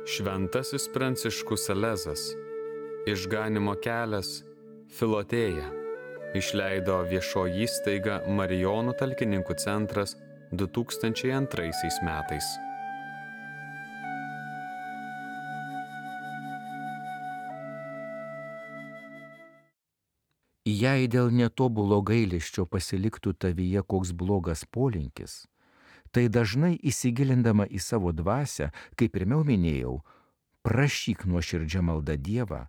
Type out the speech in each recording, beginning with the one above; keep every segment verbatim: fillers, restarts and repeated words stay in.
Šventasis Pranciškus Salezas, Išganymo kelias, Filotėja, išleido viešoji įstaiga Marijonų talkininkų centras du tūkstančiai antraisiais metais. Jei dėl netobulo gailesčio pasiliktų tavyje koks blogas polinkis, tai dažnai įsigilindama į savo dvasią, kaip pirmiau minėjau, prašyk nuoširdžia malda Dievą,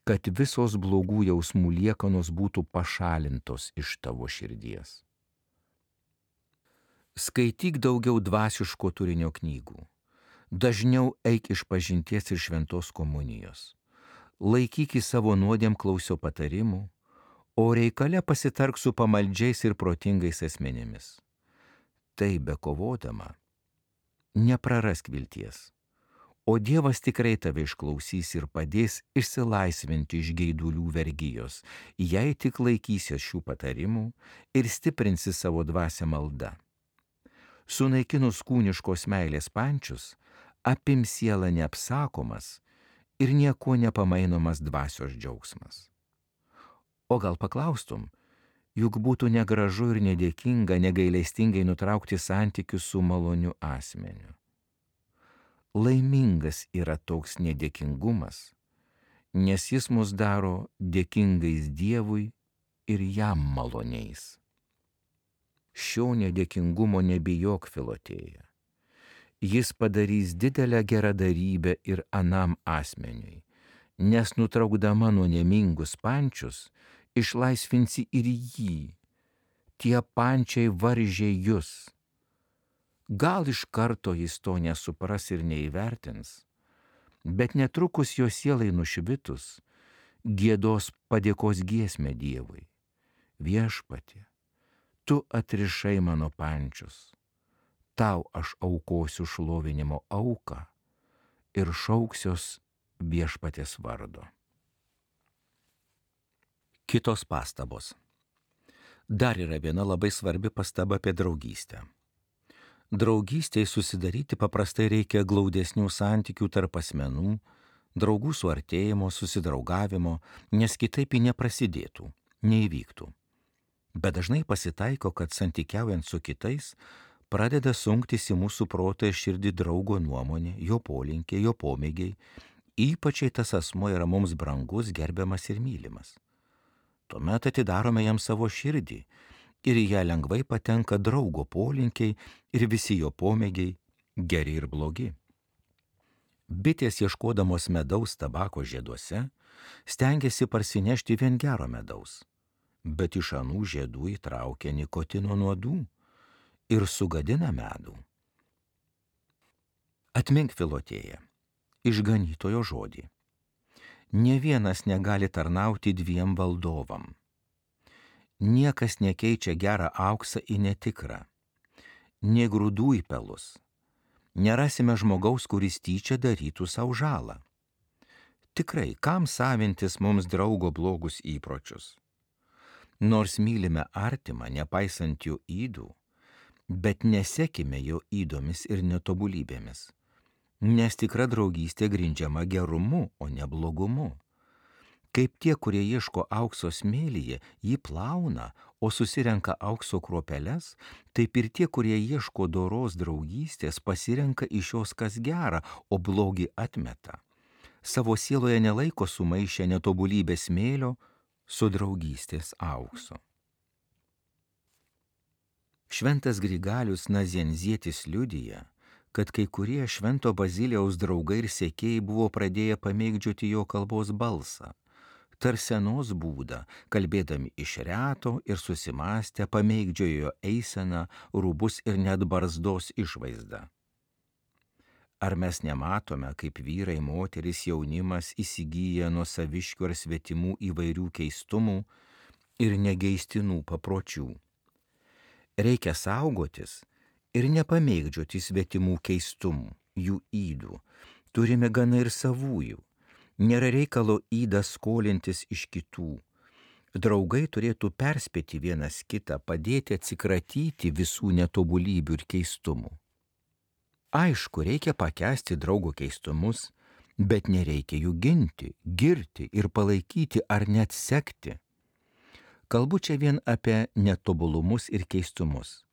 kad visos blogų jausmų liekanos būtų pašalintos iš tavo širdies. Skaityk daugiau dvasiško turinio knygų. Dažniau eik iš pažinties ir šventos komunijos. Laikyk į savo nuodėmklausio patarimų, o reikale pasitark su pamaldžiais ir protingais asmenimis. Tai bekovodama, neprarask vilties, o Dievas tikrai tave išklausys ir padės išsilaisvinti iš geidulių vergijos, jei tik laikysies šių patarimų ir stiprinsi savo dvasią malda. Sunaikinus kūniškos meilės pančius, apim sielą neapsakomas ir nieko nepamainomas dvasios džiaugsmas. O gal paklaustum, juk būtų negražu ir nedėkinga negailestingai nutraukti santykius su maloniu asmeniu. Laimingas yra toks nedėkingumas, nes jis mus daro dėkingais Dievui ir jam maloniais. Šio nedėkingumo nebijok, Filotėja. Jis padarys didelę geradarybę ir anam asmeniui, nes nutraukdama nuodėmingus pančius, išlaisvinsi ir jį. Tie pančiai varžė jus. Gal iš karto jis to nesupras ir neįvertins, bet netrukus jo sielai nušvitus, giedos padėkos giesmę Dievui. Viešpatie, tu atrišai mano pančius, tau aš aukosiu šlovinimo auką ir šauksiuos Viešpaties vardo. Kitos pastabos. Dar yra viena labai svarbi pastaba apie draugystę. Draugystėje susidaryti paprastai reikia glaudesnių santykių tarp asmenų, draugų suartėjimo, susidraugavimo, nes kitaip ji neprasidėtų, neįvyktų. Bet dažnai pasitaiko, kad santykiaujant su kitais pradeda sunktis į mūsų protą ir širdį draugo nuomonė, jo polinkiai, jo pomėgiai, ypač jei tas asmuo yra mums brangus, gerbiamas ir mylimas. Tuomet atidarome jam savo širdį ir į ją lengvai patenka draugo polinkiai ir visi jo pomėgiai, geri ir blogi. Bitės ieškodamos medaus tabako žieduose stengiasi parsinešti vien gero medaus, bet iš anų žiedų įtraukia nikotino nuodų ir sugadina medų. Atmink, Filotėja, išganytojo žodį. Nė vienas negali tarnauti dviem valdovam. Niekas nekeičia gerą auksą į netikrą, nė grūdų į pelus. Nerasime žmogaus, kuris tyčia darytų savo žalą. Tikrai, kam savintis mums draugo blogus įpročius? Nors mylime artimą, nepaisant jo ydų, bet nesekime jo ydomis ir netobulybėmis. Nes tikra draugystė grindžiama gerumu, o ne blogumu. Kaip tie, kurie ieško aukso smėlyje, jį plauna, o susirenka aukso kruopeles, taip ir tie, kurie ieško doros draugystės, pasirenka iš jos kas gera, o blogį atmeta. Savo sieloje nelaiko sumaišę netobulybės smėlio su draugystės auksu. Šventas Grigalius Nazianzietis liudija, kad kai kurie švento Bazilijaus draugai ir sekėjai buvo pradėję pamėgdžioti jo kalbos balsą, tarsenos būdą, kalbėdami iš reto ir susimąstę pamėgdžiojo eiseną, rūbus ir net barzdos išvaizdą. Ar mes nematome, kaip vyrai, moteris, jaunimas įsigyja nuo saviškių ar svetimų įvairių keistumų ir negeistinų papročių? Reikia saugotis ir nepamėgdžioti svetimų keistumų, jų ydų. Turime gana ir savųjų. Nėra reikalo ydą skolintis iš kitų. Draugai turėtų perspėti vienas kitą, padėti atsikratyti visų netobulybių ir keistumų. Aišku, reikia pakęsti draugo keistumus, bet nereikia jų ginti, girti ir palaikyti ar net sekti. Kalbu čia vien apie netobulumus ir keistumus.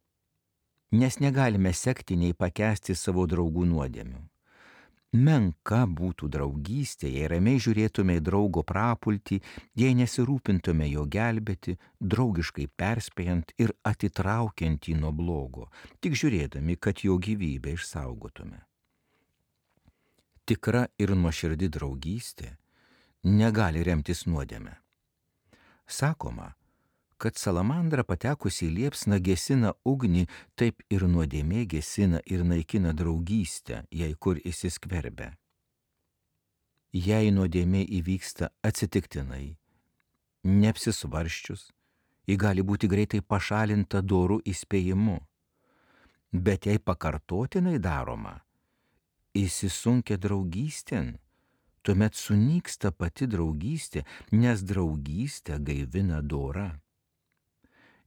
Nes negalime sekti nei pakęsti savo draugų nuodėmių. Menka būtų draugystė, jei ramiai žiūrėtume į draugo prapultį, jei nesirūpintume jo gelbėti, draugiškai perspėjant ir atitraukiant jį nuo blogo, tik žiūrėdami, kad jo gyvybę išsaugotume. Tikra ir nuoširdi draugystė negali remtis nuodėme. Sakoma, kad salamandra patekusi į liepsną gesina ugnį, taip ir nuodėmė gesina ir naikina draugystę, jei kur įsiskverbia. Jei nuodėmė įvyksta atsitiktinai, neapsisvarščius, ji gali būti greitai pašalinta doru įspėjimu. Bet jei pakartotinai daroma, įsisunkia draugystėn, tuomet sunyksta pati draugystė, nes draugystę gaivina dora.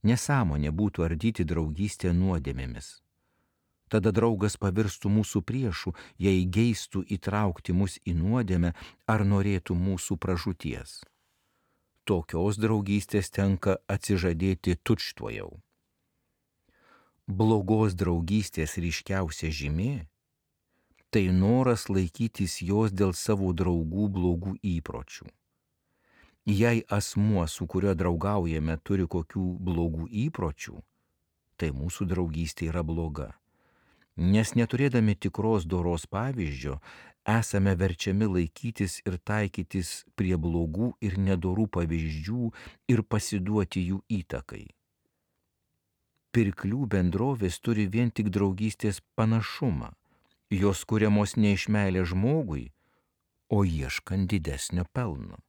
Nesąmonė būtų ardyti draugystę nuodėmėmis. Tada draugas pavirstų mūsų priešų, jei geistų įtraukti mus į nuodėmę ar norėtų mūsų pražūties. Tokios draugystės tenka atsižadėti tučtuojau. Blogos draugystės ryškiausia žymė – tai noras laikytis jos dėl savo draugų blogų įpročių. Jei asmuo, su kuriuo draugaujame, turi kokių blogų įpročių, tai mūsų draugystė yra bloga. Nes neturėdami tikros doros pavyzdžio, esame verčiami laikytis ir taikytis prie blogų ir nedorų pavyzdžių ir pasiduoti jų įtakai. Pirklių bendrovės turi vien tik draugystės panašumą, jos kuriamos ne iš meilės žmogui, o ieškant didesnio pelno.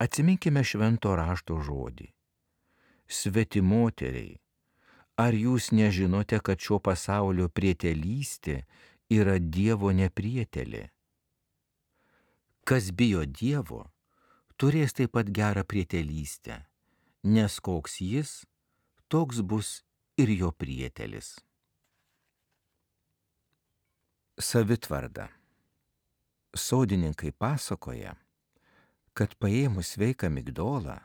Atsiminkime švento rašto žodį. Svetimoteriai, ar jūs nežinote, kad šio pasaulio prietelystė yra Dievo neprietelė? Kas bijo Dievo, turės taip pat gerą prietelystę, nes koks jis, toks bus ir jo prietelis. Savitvarda. Sodininkai pasakoja, kad paėmus sveiką migdolą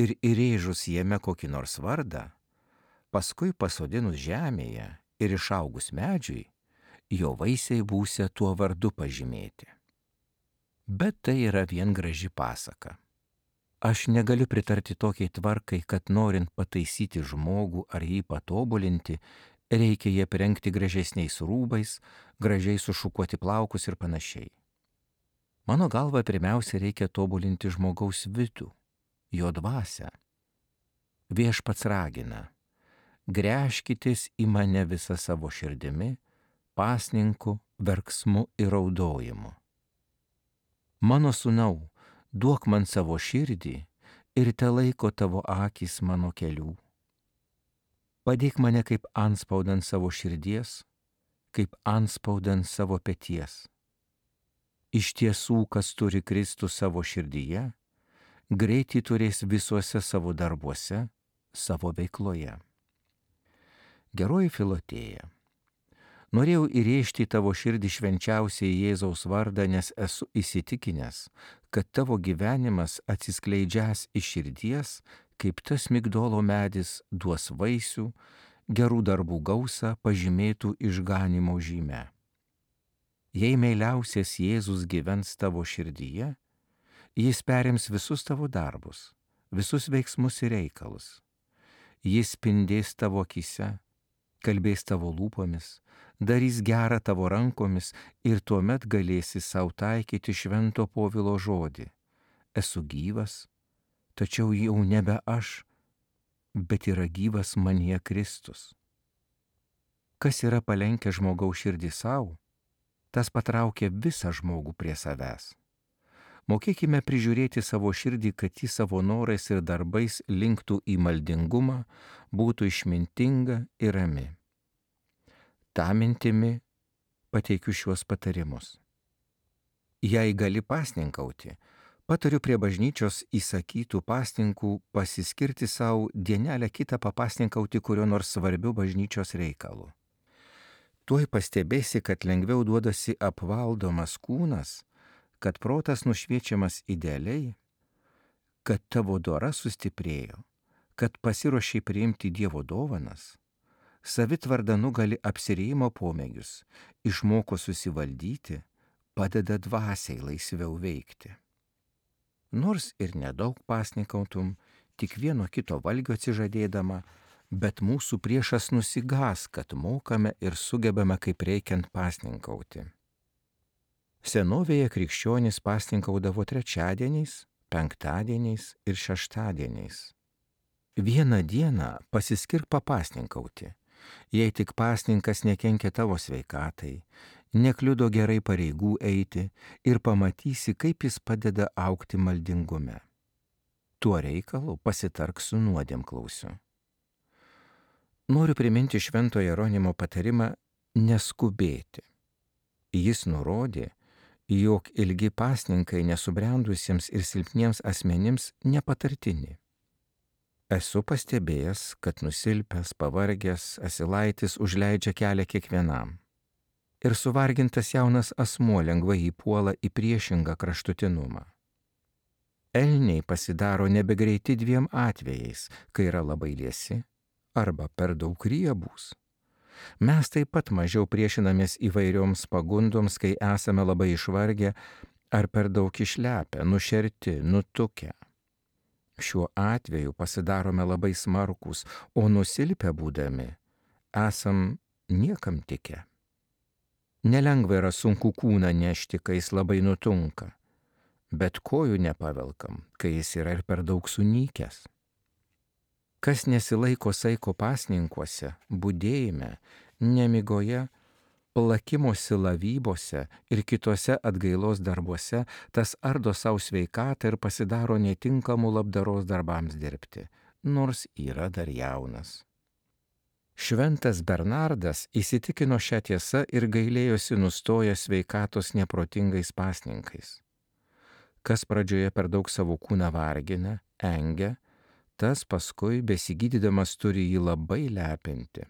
ir įrėžus jame kokį nors vardą, paskui pasodinus žemėje ir išaugus medžiui, jo vaisiai būsią tuo vardu pažymėti. Bet tai yra vien graži pasaka. Aš negaliu pritarti tokiai tvarkai, kad norint pataisyti žmogų ar jį patobulinti, reikia jį aprengti gražesniais rūbais, gražiai sušukuoti plaukus ir panašiai. Mano galva, pirmiausia reikia tobulinti žmogaus vidų, jo dvasią. Viešpats ragina, gręžkitės į mane visą savo širdimi, pasninku, verksmu ir raudojimu. Mano sūnau, duok man savo širdį ir te laiko tavo akys mano kelių. Padėk mane kaip anspaudant savo širdies, kaip anspaudant savo peties. Iš tiesų, kas turi Kristų savo širdyje, greitai turės visuose savo darbuose, savo veikloje. Geroji Filotėja, norėjau įrėžti tavo širdį švenčiausiai Jėzaus vardą, nes esu įsitikinęs, kad tavo gyvenimas atsiskleidžias iš širdies, kaip tas migdolo medis duos vaisių, gerų darbų gausą pažymėtų išganymo žyme. Jei meiliausias Jėzus gyvens tavo širdyje, jis perims visus tavo darbus, visus veiksmus ir reikalus. Jis spindės tavo akyse, kalbės tavo lūpomis, darys gerą tavo rankomis ir tuomet galėsi sau taikyti švento Povilo žodį. Esu gyvas, tačiau jau nebe aš, bet yra gyvas manyje Kristus. Kas yra palenkę žmogaus širdį savo, tas patraukia visą žmogų prie savęs. Mokėkime prižiūrėti savo širdį, kad ji savo norais ir darbais linktų į maldingumą, būtų išmintinga ir rami. Ta mintimi pateikiu šiuos patarimus. Jei gali pasninkauti, patariu prie bažnyčios įsakytų pasninkų pasiskirti savo dienelę kitą papasninkauti kurio nors svarbiu bažnyčios reikalu. Tuoj pastebėsi, kad lengviau duodasi apvaldomas kūnas, kad protas nušviečiamas idealiai, kad tavo dora sustiprėjo, kad pasiruošiai priimti Dievo dovanas, savitvarda nugali apsirėjimo pomėgius, išmoko susivaldyti, padeda dvasiai laisviau veikti. Nors ir nedaug pasninkautum, tik vieno kito valgio atsižadėdama, bet mūsų priešas nusigas, kad mokame ir sugebame kaip reikiant pasninkauti. Senovėje krikščionys pasninkaudavo trečiadieniais, penktadieniais ir šeštadieniais. Vieną dieną pasiskirk papasninkauti, jei tik pasninkas nekenkia tavo sveikatai, nekliudo gerai pareigų eiti ir pamatysi, kaip jis padeda augti maldingume. Tuo reikalu pasitark su nuodėmklausiu. Noriu priminti Švento Jeronimo patarimą neskubėti. Jis nurodė, jog ilgi pasninkai nesubrendusiems ir silpniems asmenims nepatartini. Esu pastebėjęs, kad nusilpęs, pavargęs asilaitis užleidžia kelią kiekvienam. Ir suvargintas jaunas asmuo lengvai įpuola į priešingą kraštutinumą. Elniai pasidaro nebegreiti dviem atvejais, kai yra labai liesi arba per daug riebūs. Mes taip pat mažiau priešinamės įvairioms pagundoms, kai esame labai išvargę ar per daug išlepę, nušerti, nutukę. Šiuo atveju pasidarome labai smarkūs, o nusilpę būdami esam niekam tikę. Nelengva yra sunku kūną nešti, kai jis labai nutunka, bet kojų nepavelkam, kai jis yra ir per daug sunykęs. Kas nesilaiko saiko pasninkuose, budėjime, nemigoje, plakimosi lavybose ir kitose atgailos darbuose, tas ardo savo sveikatą ir pasidaro netinkamų labdaros darbams dirbti, nors yra dar jaunas. Šventas Bernardas įsitikino šią tiesą ir gailėjosi nustojęs sveikatos neprotingais pasninkais. Kas pradžioje per daug savo kūną vargina, engia, tas paskui besigydydamas turi jį labai lepinti.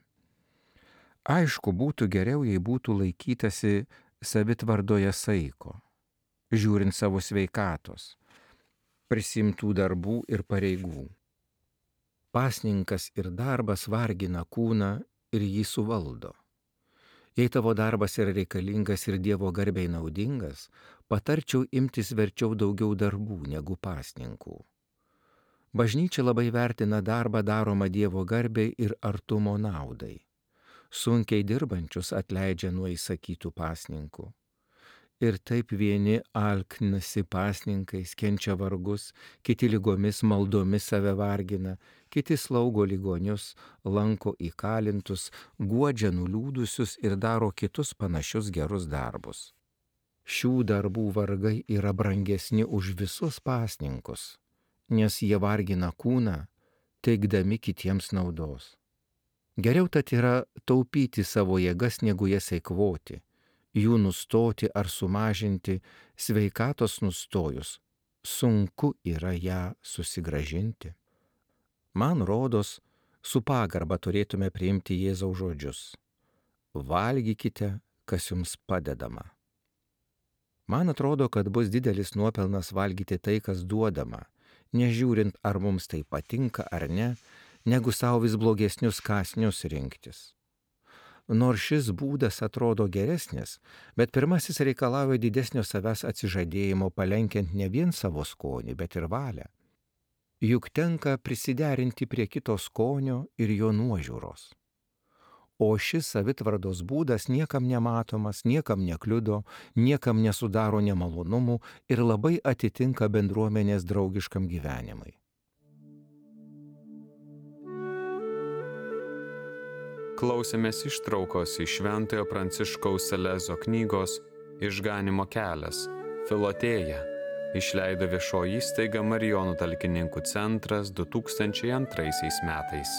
Aišku, būtų geriau, jei būtų laikytasi savitvardoje saiko, žiūrint savo sveikatos, prisimtų darbų ir pareigų. Pasninkas ir darbas vargina kūną ir jį suvaldo. Jei tavo darbas yra reikalingas ir Dievo garbei naudingas, patarčiau imtis verčiau daugiau darbų negu pasninkų. Bažnyčia labai vertina darbą daromą Dievo garbei ir artumo naudai. Sunkiai dirbančius atleidžia nuo įsakytų pasninkų. Ir taip vieni alknasi pasninkais, kenčia vargus, kiti lygomis maldomis save vargina, kiti slaugo ligonius, lanko įkalintus, guodžia nuliūdusius ir daro kitus panašius gerus darbus. Šių darbų vargai yra brangesni už visus pasninkus, nes jie vargina kūną, teikdami kitiems naudos. Geriau tad yra taupyti savo jėgas, negu jas eikvoti, jų nustoti ar sumažinti, sveikatos nustojus, sunku yra ją susigrąžinti. Man rodos, su pagarba turėtume priimti Jėzaus žodžius. Valgykite, kas jums padedama. Man atrodo, kad bus didelis nuopelnas valgyti tai, kas duodama, nežiūrint, ar mums tai patinka ar ne, negu savo vis blogesnius kąsnius rinktis. Nors šis būdas atrodo geresnis, bet pirmasis reikalauja didesnio savęs atsižadėjimo, palenkiant ne vien savo skonį, bet ir valią. Juk tenka prisiderinti prie kito skonio ir jo nuožiūros. O šis savitvardos būdas niekam nematomas, niekam nekliudo, niekam nesudaro nemalonumų ir labai atitinka bendruomenės draugiškam gyvenimui. Klausėmės ištraukos iš Šventojo Pranciškaus Salezo knygos Išganimo kelias, Filotėja, išleido viešoji įstaiga Marijonų talkininkų centras du tūkstančiai antraisiais metais.